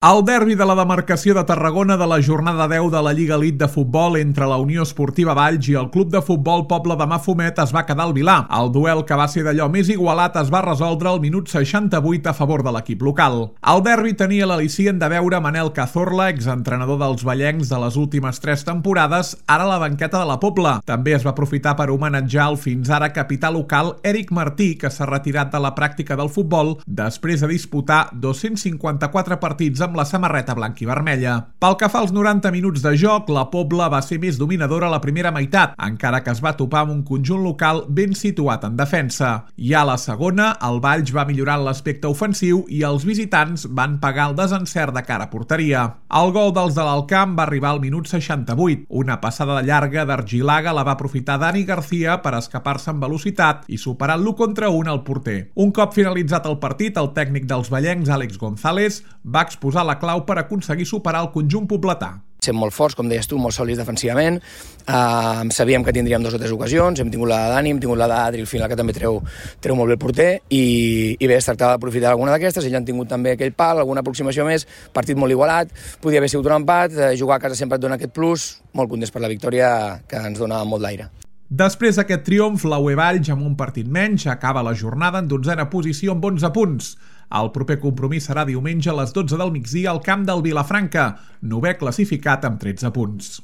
El derbi de la demarcació de Tarragona de la jornada 10 de la Lliga Elite de Futbol entre la Unió Esportiva Valls i el Club de Futbol Pobla de Mafumet es va quedar al Vilar. El duel, que va ser d'allò més igualat, es va resoldre al minut 68 a favor de l'equip local. El derbi tenia l'al·licient de veure Manel Cazorla, exentrenador dels vallencs de les últimes 3 temporades, ara a la banqueta de la Pobla. També es va aprofitar per homenatjar el fins ara capità local Eric Martí, que s'ha retirat de la pràctica del futbol després de disputar 254 partits amb la samarreta blanca i vermella. Pel que fa als 90 minuts de joc, la Pobla va ser més dominadora a la primera meitat, encara que es va topar amb un conjunt local ben situat en defensa. I a la segona, el Valls va millorar l'aspecte ofensiu i els visitants van pagar el desencert de cara a porteria. El gol dels de l'Alcamp va arribar al minut 68. Una passada de llarga d'Argilaga la va aprofitar Dani García per escapar-se amb velocitat i superar l'1 contra 1 al porter. Un cop finalitzat el partit, el tècnic dels vallencs, Àlex González, va exposar la clau per aconseguir superar el conjunt pobletà. Sem molt forts, com deies tu, molt sòlids defensivament. Sabíem que tindríem 2 o 3 ocasions, hem tingut la de Dani, hem tingut la d'Adri, al final que també treu molt bé el porter, i bé, es tractava d'aprofitar alguna d'aquestes. Ells han tingut també aquell pal, alguna aproximació més, partit molt igualat, podia haver sigut un empat, jugar a casa sempre et dona aquest plus, molt contents per la victòria, que ens dona molt d'aire. Després d'aquest triomf, la UE Valls, amb un partit menys, acaba la jornada en 12a posició amb 11 punts. El proper compromís serà diumenge a les 12 del migdia al camp del Vilafranca, 9è classificat amb 13 punts.